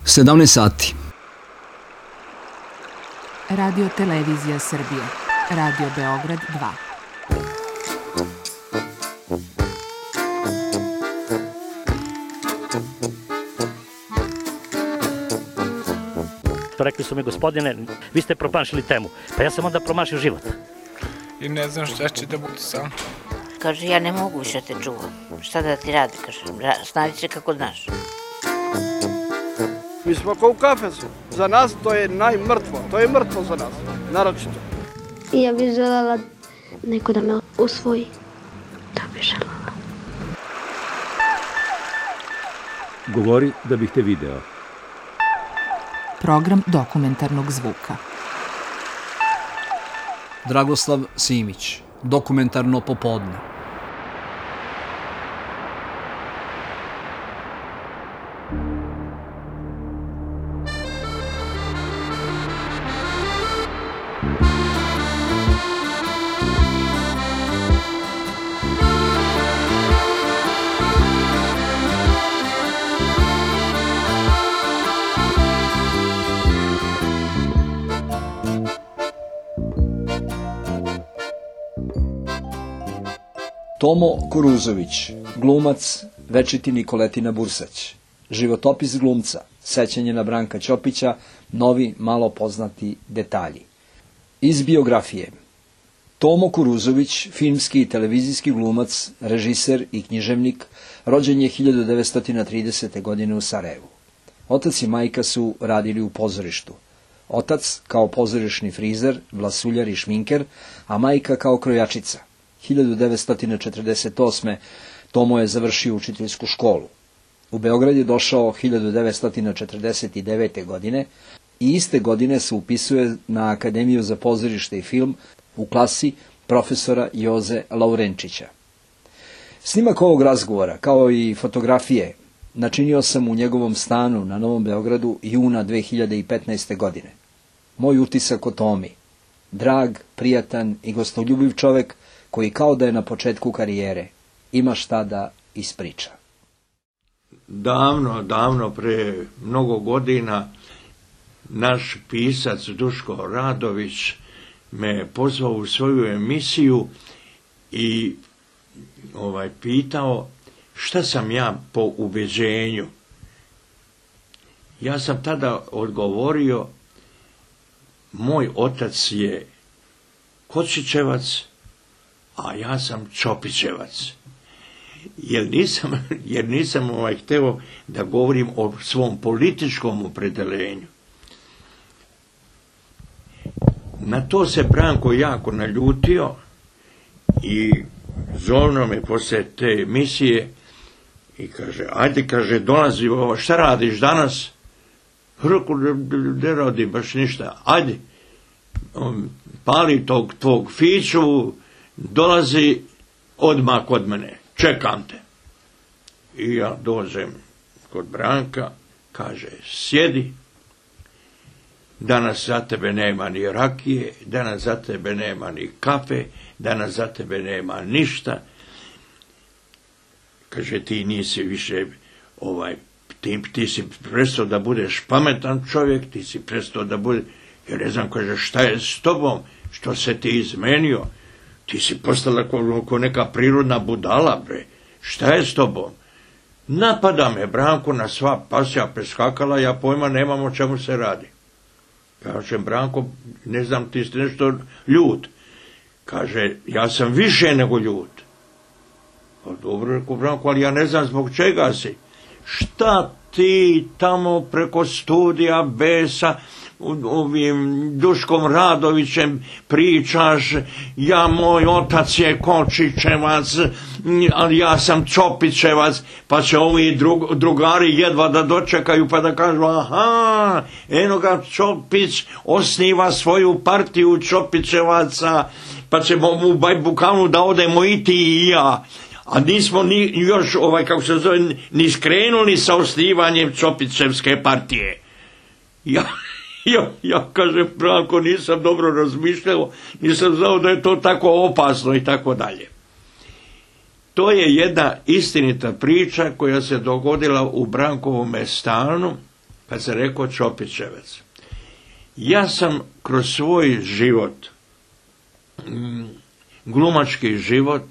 17 sati. Radio Televizija Srbije. Radio Beograd 2. Rekli su mi, gospodine, vi ste promašili temu. Pa ja sam onda promašio život. I ne znam šta će da bude sam. Kaže, ja ne mogu više te čuvam. Šta da ti radi, kaže, snađi se kako znaš. Mi smo kao u kafesu. Za nas to je najmrtvo. To je mrtvo za nas, naročito. Ja bih želela neko da me usvoji. To bih želela. Govori da bih te video. Program dokumentarnog zvuka. Dragoslav Simić, dokumentarno popodne. Tomo Kuruzović, glumac, večiti Nikoletina Bursać. Životopis glumca, sećanje na Branka Ćopića, novi, malo poznati detalji. Iz biografije. Tomo Kuruzović, filmski i televizijski glumac, režiser i književnik, rođen je 1930. godine u Sarajevu. Otac i majka su radili u pozorištu. Otac kao pozorišni frizer, vlasuljar i šminker, a majka kao krojačica. 1948. Tomo je završio učiteljsku školu. U Beograd je došao 1949. godine i iste godine se upisuje na Akademiju za pozorište i film u klasi profesora Joze Laurenčića. Snimak ovog razgovora, kao i fotografije, načinio sam u njegovom stanu na Novom Beogradu juna 2015. godine. Moj utisak o Tomi, drag, prijatan i gostoljubiv čovek koji kao da je na početku karijere, ima šta da ispriča. Davno, pre mnogo godina, naš pisac Duško Radović me pozvao u svoju emisiju i pitao šta sam ja po ubeđenju. Ja sam tada odgovorio, moj otac je Kočićevac, a ja sam Ćopićevac. Jer nisam hteo da govorim o svom političkom opredeljenju. Na to se Branko jako naljutio i zovno me posle te emisije i kaže, ajde, kaže, dolazi, šta radiš danas? Rekao, ne radi baš ništa, ajde, pali tog tvog fiću, dolazi odmah kod mene, čekam te. I ja dođem kod Branka, kaže, sjedi, danas za tebe nema ni rakije, danas za tebe nema ni kafe, danas za tebe nema ništa. Kaže, ti nisi više, ti si prestao da budeš pametan čovjek, ti si prestao da budeš, ja ne znam, kaže, šta je s tobom, što se ti izmenio, ti si postala ko neka prirodna budala, bre, šta je s tobom? Napada me Branko na sva pasja preskakala, ja pojma nemam o čemu se radi. Kaže, Branko, ne znam, ti si nešto ljut. Kaže, ja sam više nego ljut. Pa dobro, rekao Branko, ali ja ne znam zbog čega si. Šta ti tamo preko studija B-sa ovim Duškom Radovićem pričaš, moj otac je Kočićevac, ali ja sam Ćopićevac, pa će ovi drugari jedva da dočekaju pa da kažu, aha, eno ga Ćopić osniva svoju partiju Ćopićevaca, pa ćemo u Bajbukanu da odemo i ti i ja. A nismo još, ni skrenuli sa osnivanjem Ćopićevske partije. Ja kažem, Branko, nisam dobro razmišljao, nisam znao da je to tako opasno i tako dalje. To je jedna istinita priča koja se dogodila u Brankovome stanu pa se rekao Čopićevac. Ja sam kroz svoj život, glumački život,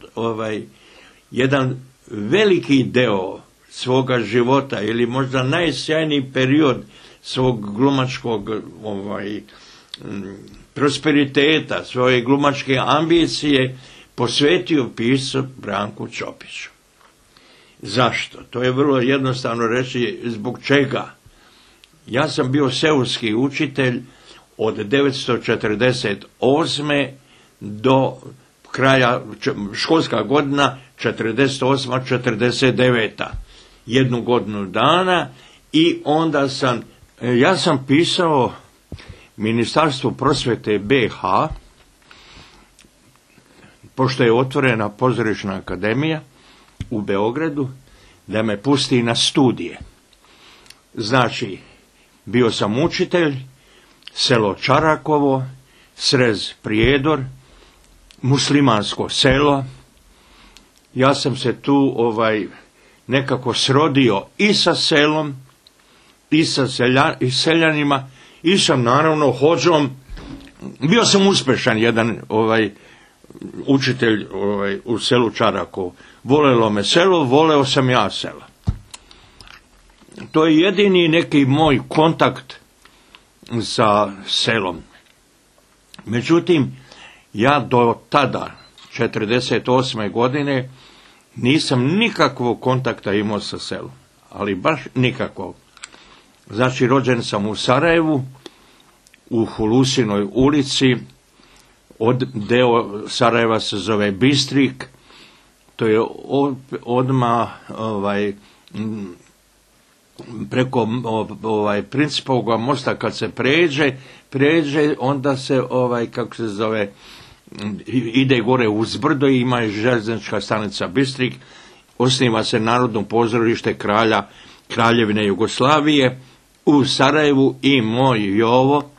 jedan veliki deo svoga života ili možda najsjajniji period svog glumačkog prosperiteta, svoje glumačke ambicije posvetio piscu Branku Čopiću. Zašto? To je vrlo jednostavno reći zbog čega. Ja sam bio seoski učitelj od 1948. do kraja školska godina 48-49. Jednu godinu dana i onda ja sam pisao Ministarstvu prosvjete BH, pošto je otvorena pozorišna akademija u Beogradu, da me pusti na studije. Znači, bio sam učitelj, selo Čarakovo, Srez Prijedor, muslimansko selo. Ja sam se tu nekako srodio i sa selom, i sa seljanima, i sam naravno hođom. Bio sam uspješan jedan učitelj u selu Čarakovo. Volelo me selo, voleo sam ja selo. To je jedini neki moj kontakt sa selom. Međutim, ja do tada, 48. godine, nisam nikakvog kontakta imao sa selom. Ali baš nikakvog. Znači, rođen sam u Sarajevu, u Hulusinoj ulici, deo Sarajeva se zove Bistrik, to je odmah preko Principovog mosta kad se pređe, onda se kako se zove, ide gore uz brdo i ima željeznička stanica Bistrik, osniva se Narodno pozorište Kraljevine Jugoslavije u Sarajevu i moj Jovo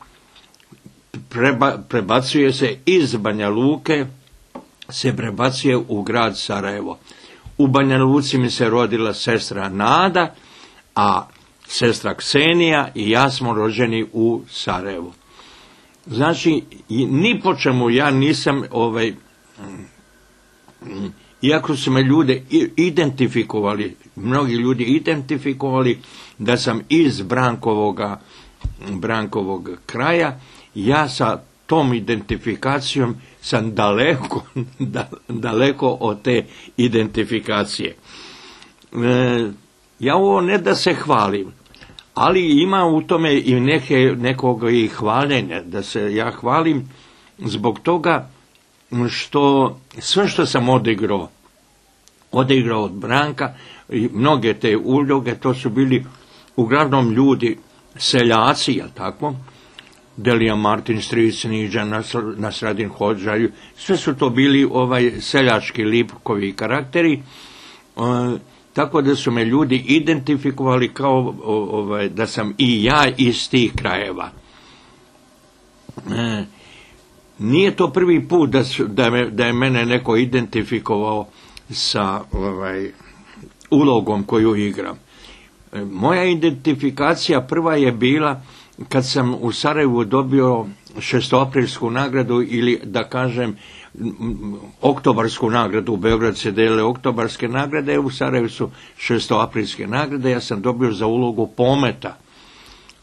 prebacuje se iz Banja Luke, se prebacuje u grad Sarajevo. U Banja Luci mi se rodila sestra Nada, a sestra Ksenija i ja smo rođeni u Sarajevu. Znači, ni po čemu ja nisam, iako su me ljude identifikovali, mnogi ljudi identifikovali da sam iz Brankovog kraja, ja sa tom identifikacijom sam daleko od te identifikacije. Ja ovo ne da se hvalim, ali ima u tome i nekog i hvaljenja, da se ja hvalim zbog toga što sve što sam odigrao od Branka, i mnoge te uloge, to su bili uglavnom ljudi, seljaci, jel tako? Delija Martin, Stric, Niđa, Nasradin Hodža, sve su to bili seljački lipkovi karakteri, tako da su me ljudi identifikovali kao da sam i ja iz tih krajeva. Nije to prvi put da je mene neko identifikovao sa ulogom koju igram. Moja identifikacija prva je bila kad sam u Sarajevu dobio šestoaprilsku nagradu, ili da kažem oktobarsku nagradu. U Beograd se dele oktobarske nagrade, u Sarajevu su šestoaprilske nagrade. Ja sam dobio za ulogu Pometa.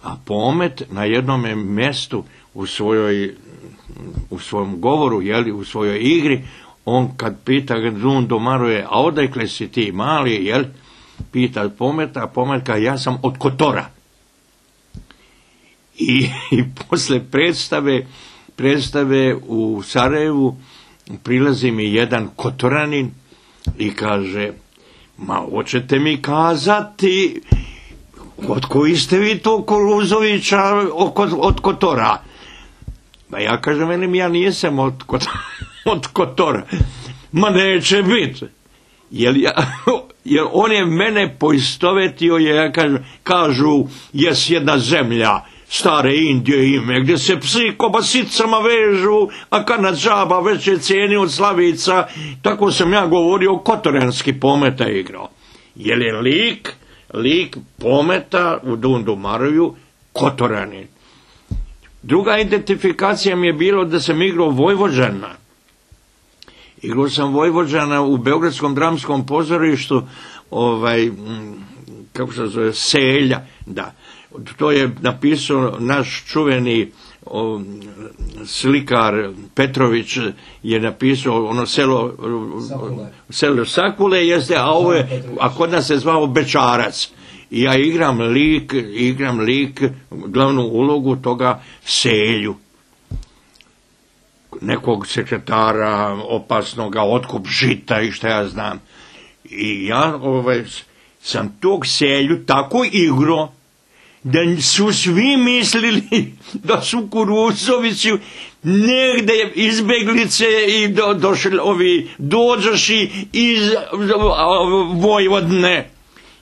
A Pomet na jednom mjestu u svom govoru, u svojoj igri, on kad pita Dundo Maruje, a odakle si ti mali, pita Pometa, a Pometka, ja sam od Kotora. I posle predstave u Sarajevu prilazi mi jedan Kotoranin i kaže, ma hoćete mi kazati od koji ste vi to Koluzovića od Kotora? Pa ja kažem, ja nisam od Kotora. Ma neće biti. Jer on je mene poistovetio, kažu, jes jedna zemlja stare Indije ime, gdje se psi kobasicama vežu, a kad džaba veće cijeni od slavica. Tako sam ja govorio, kotoranski Pometa igrao. Jer je lik lik Pometa u Dundumaroju, Kotoranin. Druga identifikacija mi je bilo da sam igrao Vojvođana. Igrao sam Vojvođana u Beogradskom dramskom pozorištu, kako se zove, Selja, da. To je napisao naš čuveni slikar Petrović, je napisao ono selo Sakule, jeste, a kod nas se zvao Bečarac. I ja igram lik, glavnu ulogu toga Selju. Nekog sekretara opasnoga, otkup žita i šta ja znam. I ja sam tog Selju tako igrao da su svi mislili da su Kuruzovići negde izbeglice i došli ovi dođoši iz Vojvodne.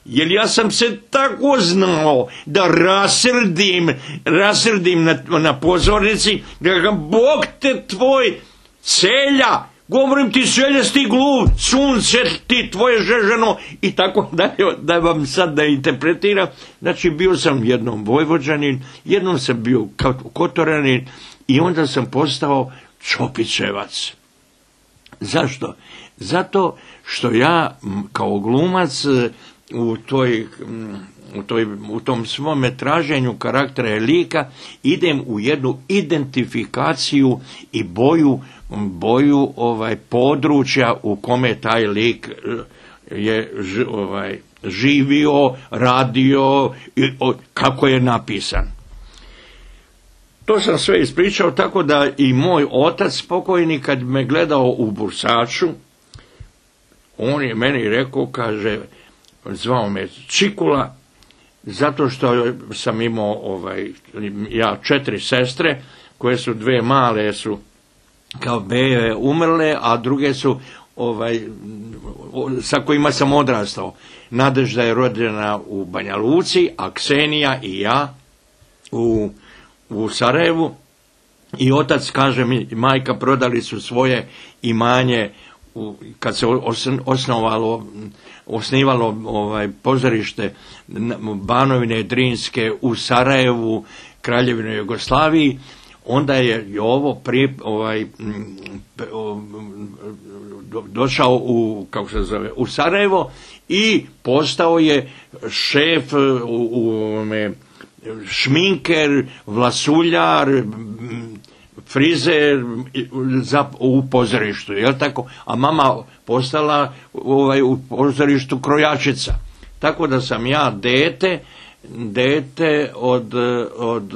Jer ja sam se tako znao da rasrdim na pozornici, da ga Bog te tvoj Selja, govorim ti Seljasti gluv, sunce ti tvoje žeženo i tako dalje, da vam sad da interpretiram. Znači bio sam jednom Vojvođanin, jednom sam bio Kotoranin i onda sam postao Čopićevac. Zašto? Zato što ja kao glumac u tom svome traženju karaktera i lika idem u jednu identifikaciju i boju područja u kome taj lik je živio, radio, kako je napisan. To sam sve ispričao, tako da i moj otac pokojni kad me gledao u Bursaču, on je meni rekao, kaže, zvao me Čikula, zato što sam imao ja 4 sestre, koje su 2 male su kao bebe umrle, a druge su sa kojima sam odrastao. Nadežda je rođena u Banja Luci, a Ksenija i ja u Sarajevu. I otac, kaže mi, majka, prodali su svoje imanje kad se osnivalo pozorište Banovine Drinske u Sarajevu, Kraljevine Jugoslaviji. Onda je Jovo došao u Sarajevo i postao je šef šminker, vlasuljar, frizer u pozorištu, jel tako? A mama postala u pozorištu krojačica. Tako da sam ja dete od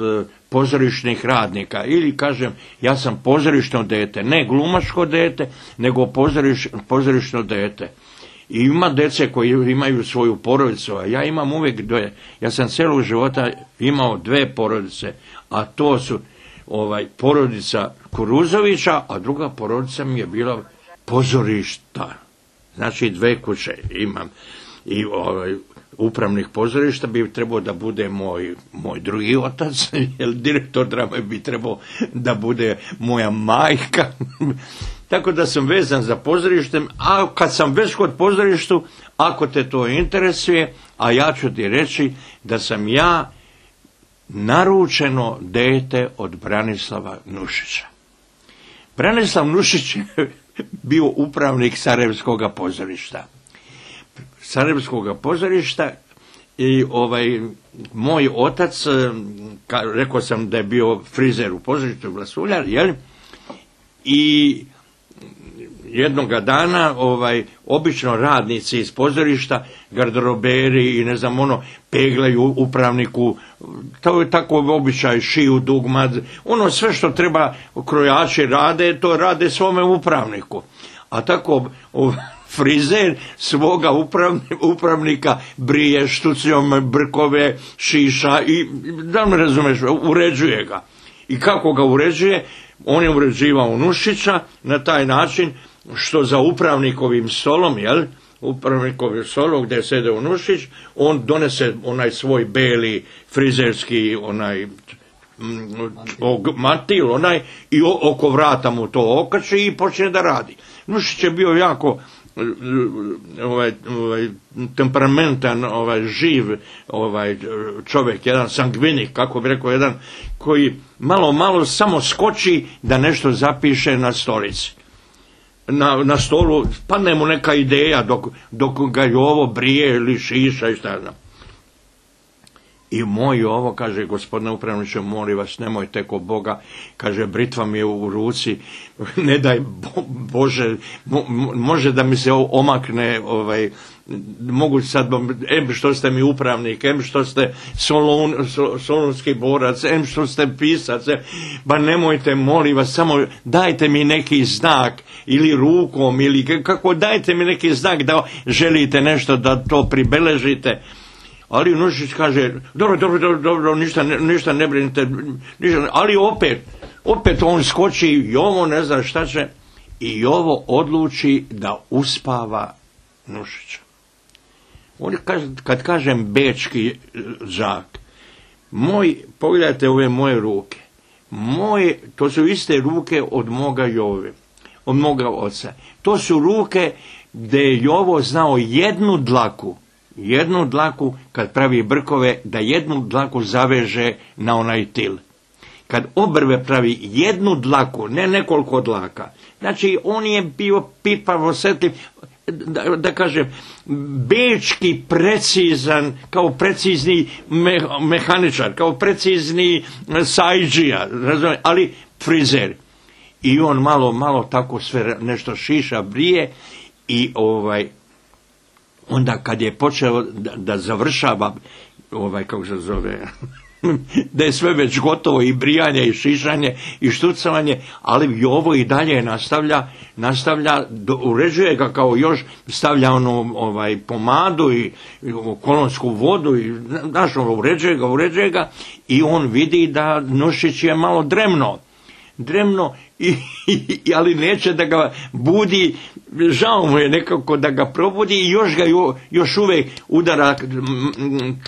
pozorišnih radnika, ili kažem, ja sam pozorišno dete, ne glumačko dete, nego pozorišno dete. I ima dece koji imaju svoju porodicu, a ja imam uvijek 2. Ja sam celog života imao 2 porodice, a to su porodica Kuruzovića, a druga porodica mi je bila pozorišta. Znači 2 kuće imam. I upravnik pozorišta bi trebao da bude moj drugi otac, jer direktor drame bi trebao da bude moja majka. Tako da sam vezan za pozorištem, a kad sam već kod pozorištu, ako te to interesuje, a ja ću ti reći da sam ja naručeno dete od Branislava Nušića. Branislav Nušić je bio upravnik Sarajevskog pozorišta i moj otac, rekao sam da je bio frizer u pozorištu, vlasuljar, jel? I jednoga dana obično radnici iz pozorišta, garderoberi i ne znam peglaju upravniku, to je tako običaj, šiju dugmad, sve što treba krojači rade, to rade svome upravniku. A tako frizer svoga upravnika brije štucijom brkove, šiša i, da me razumeš, uređuje ga. I kako ga uređuje? On je uređivao Nušića na taj način što za upravnikovim stolom, jel? Upravnikovim stolom gdje sede u Nušić, on donese onaj svoj beli frizerski matil i oko vrata mu to okači i počne da radi. Nušić je bio jako temperamentan, živ čovjek, jedan sangvinik, kako bi rekao, jedan koji malo samo skoči da nešto zapiše na stolici. Na stolu padne mu neka ideja dok ga Jovo brije ili šiša i šta znam. I moj Jovo kaže, gospodine upravniče, molim vas, nemojte ko Boga, kaže, britva mi je u ruci, ne daj Bože, može da mi se omakne, mogu sad, što ste mi upravnik, što ste solunski borac, što ste pisac, ba nemojte, molim vas, samo dajte mi neki znak, ili rukom, ili kako, dajte mi neki znak da želite nešto, da to pribeležite. Ali Nušić kaže, dobro, ništa ne brinite, ali opet on skoči, Jovo ne zna šta će, i Jovo odluči da uspava Nušića. Kad kažem bečki đak, pogledajte ove moje ruke, to su iste ruke od moga Jove, od moga oca. To su ruke gdje je Jovo znao jednu dlaku kad pravi brkove, da jednu dlaku zaveže na onaj til. Kad obrve pravi jednu dlaku, ne nekoliko dlaka, znači on je bio pipav, osjetljiv, da kažem, bečki precizan, kao precizni mehaničar, kao precizni sajđija, ali frizer. I on malo tako sve nešto šiša, brije i onda kad je počeo da završava, kako se zove, da je sve već gotovo, i brijanje, i šišanje, i štucavanje, ali Jovo i dalje nastavlja, uređuje ga, kao još stavlja pomadu i kolonsku vodu, i uređuje ga, i on vidi da Nušić je malo dremno, ali neće da ga budi, žao mu je nekako da ga probudi, i još uvijek udara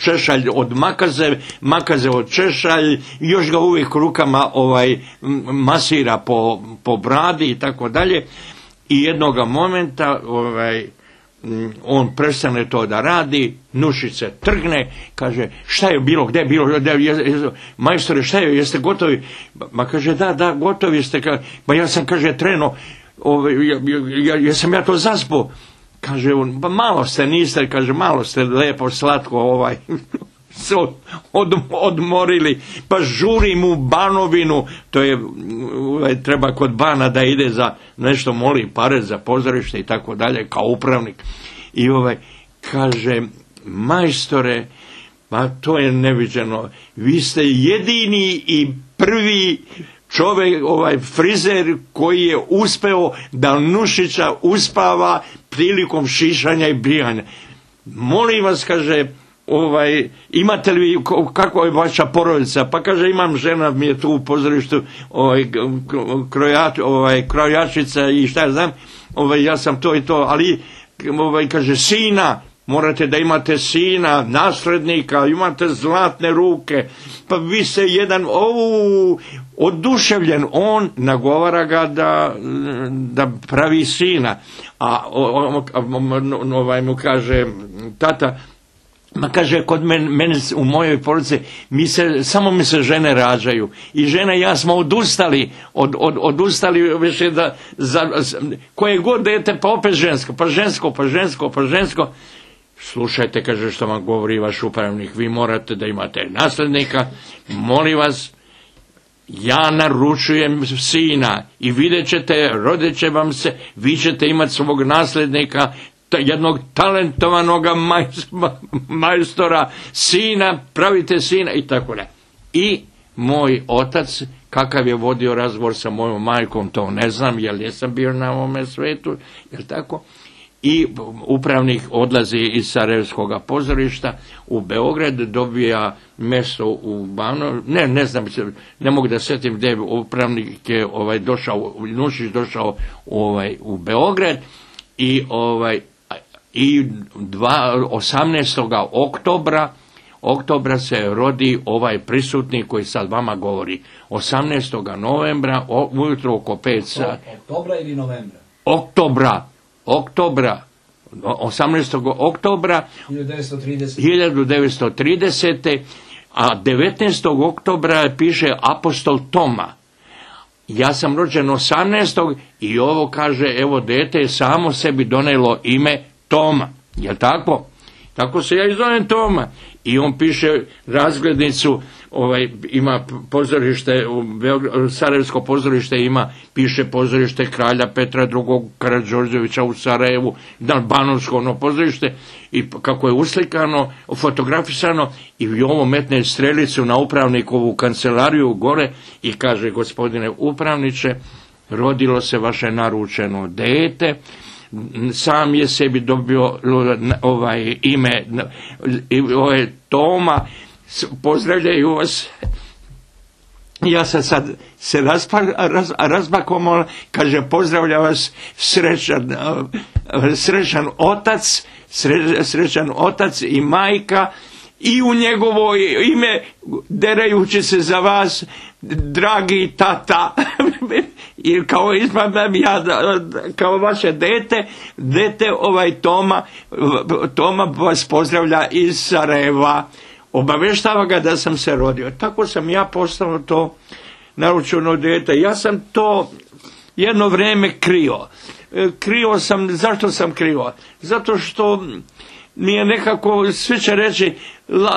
češalj od makaze od češalj, još ga uvijek rukama masira po bradi i tako dalje, i jednoga momenta on prestane to da radi, Nušić se trgne, kaže, šta je bilo, gdje je bilo, majstore, šta je, jeste gotovi? Ma kaže, da, gotovi ste, ma ja sam, kaže, treno, jesam ja to zaspo? Kaže on, pa malo ste, niste, kaže, malo ste lepo, slatko, se odmorili, pa žurim u Banovinu, to je, treba kod Bana da ide za nešto, moli pare za pozorište i tako dalje, kao upravnik. I kaže, majstore, pa to je neviđeno, vi ste jedini i prvi čovjek, frizer koji je uspeo da Nušića uspava prilikom šišanja i brijanja. Molim vas, kaže, imate li, kako je vaša porodica? Pa kaže, imam, žena mi je tu u pozorištu, krojačica i šta ja znam, ja sam to i to, ali kaže, sina, morate da imate sina, naslednika, imate zlatne ruke, pa vi ste jedan, oduševljen, on nagovara ga da pravi sina, a mu kaže, tata, ma kaže, kod mene u mojoj porodici samo mi se žene rađaju, i žena i ja smo odustali više da koje god dete, pa opet žensko. Slušajte, kaže, što vam govori vaš upravnik, vi morate da imate nasljednika, molim vas, ja naručujem sina i vidjet ćete, rodit će vam se, vi ćete imati svog nasljednika, jednog talentovanog majstora, sina, pravite sina i tako ne. I moj otac, kakav je vodio razgovor sa mojom majkom, to ne znam, jer nisam bio na ovome svetu, jel tako? I upravnik odlazi iz Sarajevskog pozorišta u Beograd, dobija mjesto u Banu, ne znam, ne mogu da sjetim gdje upravnik je došao, Nušić došao u Beograd, i 18. oktobra se rodi ovaj prisutni koji sad vama govori. 18. novembra, ujutro oko 5 sati. Oktobra ili novembra? oktobra 1930. A 19. oktobra piše apostol Toma. Ja sam rođen 18. i ovo kaže, evo dete je samo sebi donelo ime Toma. Jel tako? Tako se ja i zovem Toma. I on piše razglednicu, ima pozorište, Sarajevsko pozorište ima, piše pozorište kralja Petra II. Karađorđevića u Sarajevu, Banovsko ono pozorište, i kako je uslikano, fotografisano, i ovo metne strelicu na upravnikovu kancelariju gore i kaže, gospodine upravniče, rodilo se vaše naručeno dete, sam je sebi dobio ime, Toma, pozdravljaju vas. Ja sam sad se razbakom, kaže, pozdravlja vas srećan otac i majka, i u njegovo ime, derajući se za vas, dragi tata, i kao ispadam ja, kao vaše dete Toma vas pozdravlja iz Sarajeva, obaveštava ga da sam se rodio. Tako sam ja postao to naručeno dete. Ja sam to jedno vrijeme krio. Krio sam, zašto sam krio? Zato što mi je nekako, svi će reći,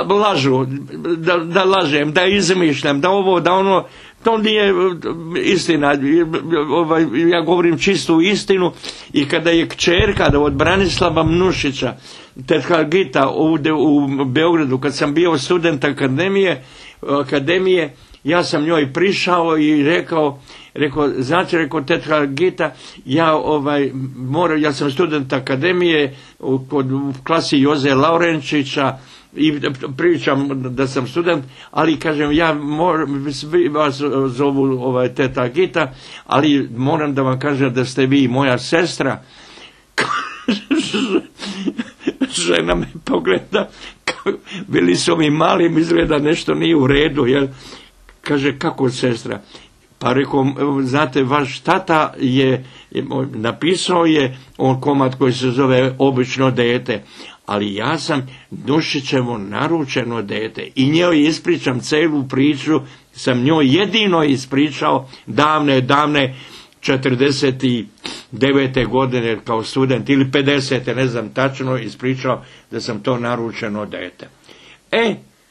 lažu, da lažem, da izmišljam, da ovo, da ono, to nije istina. Ja govorim čistu istinu. I kada je kćerka od Branislava Mnušića, tetka Gita, ovdje u Beogradu, kad sam bio student akademije, ja sam njoj prišao i rekao, znate, tetka Gita, ja sam student akademije u klasi Joze Laurenčića, i pričam da sam student, ali kažem, svi vas zovu teta Gita, ali moram da vam kažem da ste vi moja sestra. Žena me pogleda, bili su mi mali, izgleda nešto nije u redu, jel? Kaže, kako sestra? Pa rekao, znate, vaš tata napisao je on komad koji se zove Obično dete, ali ja sam Nušićevo naručeno dete, i njoj ispričam celu priču, sam njoj jedino ispričao davne 49. godine kao student, ili 50. ne znam tačno, ispričao da sam to naručeno dete.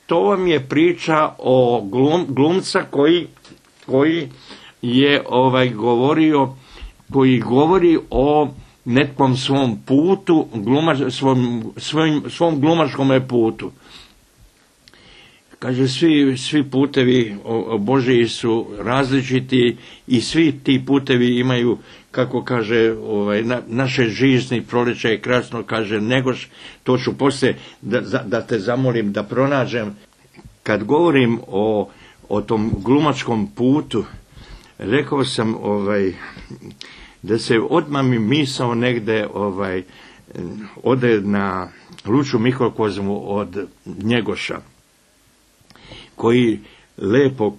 To vam je priča o glumca koji je koji govori o nekom svom putu, svom glumačkom putu. Kaže, svi putevi Božiji su različiti i svi ti putevi imaju, kako kaže, naše žizni proljeće je krasno, kaže Negoš, to ću poslije da te zamolim da pronađem. Kad govorim o tom glumačkom putu, rekao sam da se odmah mi misao negde ode na luču mikrokozmu od Njegoša, koji lepo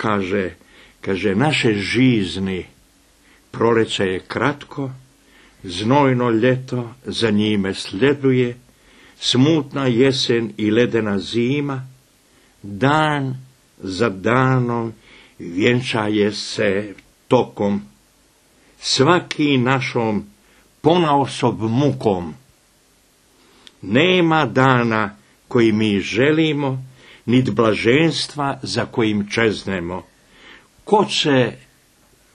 kaže, naše žizni proleće je kratko, znojno ljeto za njime sleduje, smutna jesen i ledena zima, dan za danom vjenčaje se tokom, svaki našom ponaosob mukom. Nema dana koji mi želimo, nit blaženstva za kojim čeznemo. Ko će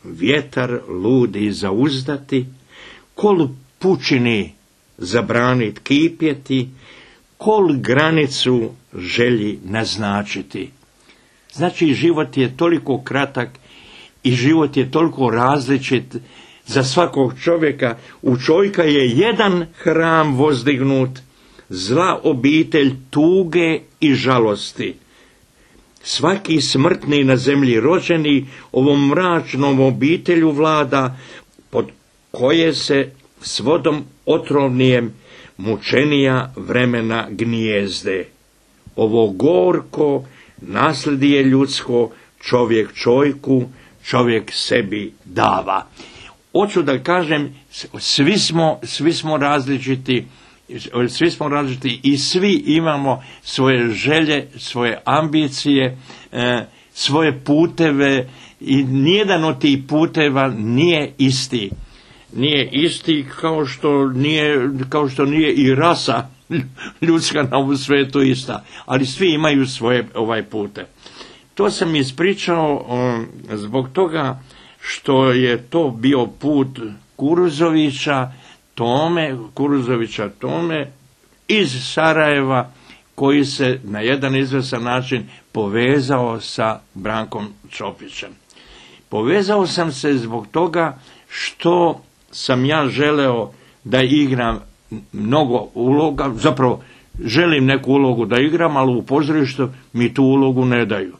vjetar ludi zauzdati, kol pučini zabranit kipjeti, kol granicu želji naznačiti. Znači, život je toliko kratak i život je toliko različit za svakog čovjeka. U čovjeka je jedan hram vozdignut, zla obitelj tuge i žalosti. Svaki smrtni na zemlji rođeni ovom mračnom obitelju vlada, pod koje se s vodom otrovnijem mučenija vremena gnijezde. Ovo gorko nasledije ljudsko, čovjek čovjeku, čovjek sebi dava. hoću da kažem, svi smo različiti i svi imamo svoje želje, svoje ambicije, svoje puteve i nijedan od tih puteva nije isti. Nije isti kao što nije i rasa ljudska na ovom svetu ista, ali svi imaju svoje pute. To sam ispričao zbog toga što je to bio put Kuruzovića Tome iz Sarajeva, koji se na jedan izvestan način povezao sa Brankom Čopićem. Povezao sam se zbog toga što sam ja želeo da igram mnogo uloga, zapravo želim neku ulogu da igram, ali u pozorištu mi tu ulogu ne daju.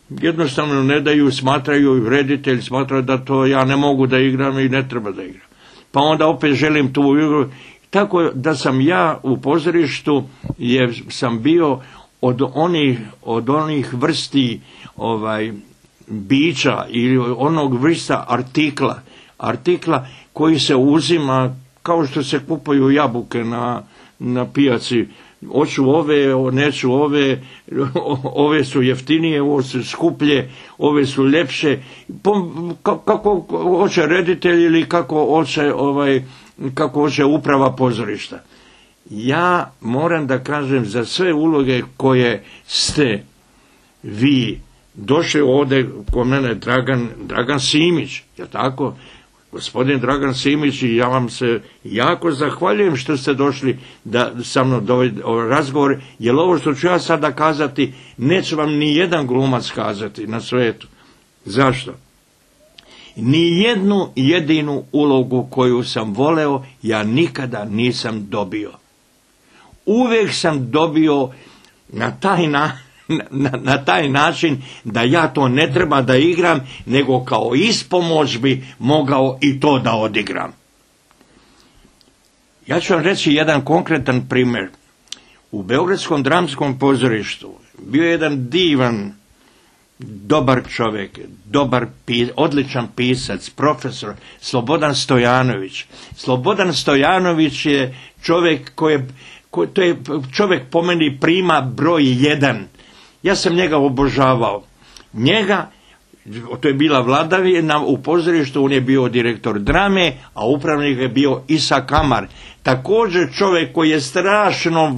Jednostavno ne daju, smatraju, reditelj smatraju da to ja ne mogu da igram i ne treba da igram. Pa onda opet želim tu igru. Tako da sam ja u pozorištu sam bio od onih vrsti bića ili onog vrsta artikla koji se uzima kao što se kupuju jabuke na pijaci. Hoću ove, neću ove su jeftinije, ove su skuplje, ove su ljepše. Kako hoće reditelj ili kako hoće uprava pozorišta. Ja moram da kažem za sve uloge koje ste vi došli ovdje kod mene, Dragan Simić, je tako? Gospodin Dragan Simić, i ja vam se jako zahvaljujem što ste došli da sa mnom razgovor, jer ovo što ću ja sada kazati, neće vam ni jedan glumac kazati na svijetu. Zašto? Ni jednu jedinu ulogu koju sam voleo, ja nikada nisam dobio. Uvijek sam dobio na taj način da ja to ne treba da igram, nego kao ispomoć bi mogao i to da odigram. Ja ću vam reći jedan konkretan primjer. U Beogradskom dramskom pozorištu bio je jedan divan, dobar čovjek, odličan pisac, profesor Slobodan Stojanović. Slobodan Stojanović je čovjek to je čovjek po meni prima broj 1. Ja sam njega obožavao. To je bila vladavina u pozorištu, on je bio direktor drame, a upravnik je bio Isa Kamar. Također čovjek koji je strašno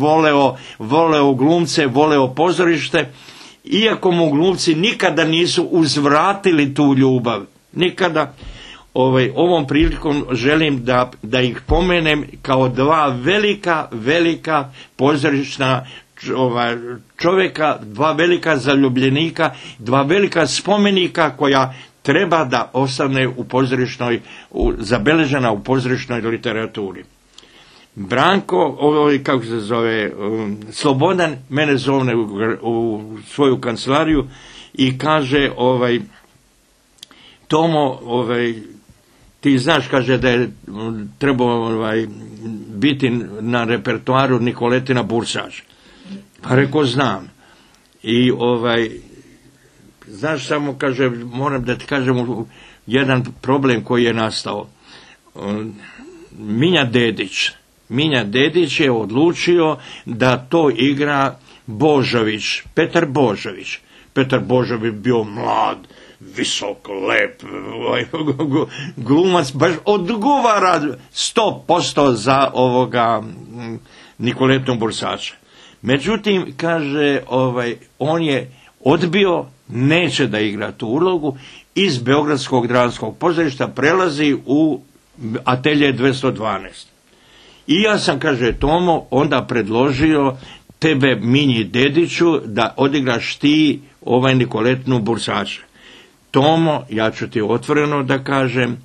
voleo glumce, voleo pozorište, iako mu glumci nikada nisu uzvratili tu ljubav. Nikada. Ovom prilikom želim da ih pomenem kao dva velika pozorišna čovjeka, dva velika zaljubljenika, dva velika spomenika koja treba da ostane zabeležena u pozorišnoj literaturi. Branko, kako se zove, Slobodan mene zove u svoju kancelariju i kaže, Tomo, ti znaš, kaže, da je trebao biti na repertoaru Nikoletina Bursač. Pa rekao, znam. I znaš, samo, kaže, moram da ti kažem jedan problem koji je nastao. Minja Dedić je odlučio da to igra Božović, Petar Božović. Petar Božović bio mlad, visok, lep, glumac, baš odgovara 100% za Nikoletu Bursača. Međutim, kaže, on je odbio, neće da igra tu ulogu, iz Beogradskog dramskog pozorišta prelazi u atelje 212. I ja sam, kaže, Tomo, onda predložio tebe, Minji Dediću, da odigraš ti Nikoletnu Bursača. Tomo, ja ću ti otvoreno da kažem,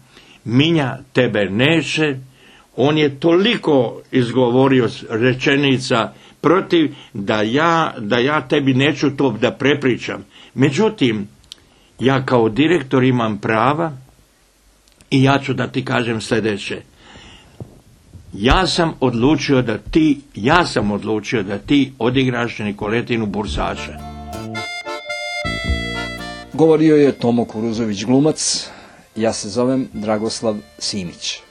Minja tebe neće, on je toliko izgovorio rečenica protiv da ja tebi neću to da prepričam. Međutim, ja kao direktor imam prava i ja ću da ti kažem sljedeće. Ja sam odlučio da ti odigraš Nikoletinu Bursača. Govorio je Tomo Kuruzović, glumac, Ja se zovem Dragoslav Simić.